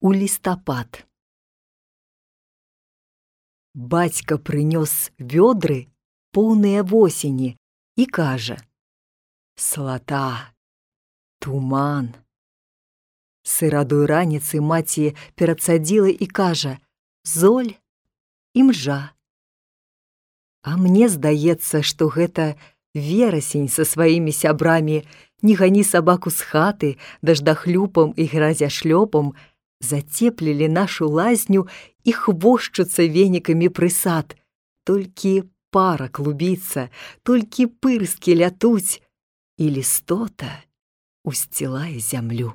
у лістапад. Бацька прынёс вёдры, поўныя восені, і кажа: «Слата, туман». Сырадой раніцы маці перадсадзіла і кажа: «Золь, імжа». А мне здаецца, што гэта верасень са сваімі сябрамі «Не гані сабаку з хаты» даждахлюпам і гразяшлёпам зацеплілі нашу лазню і хвошчуцца венікамі пры сад. Толькі пара клубіцца, толькі пырскі лятуць, і лістота усцілае зямлю.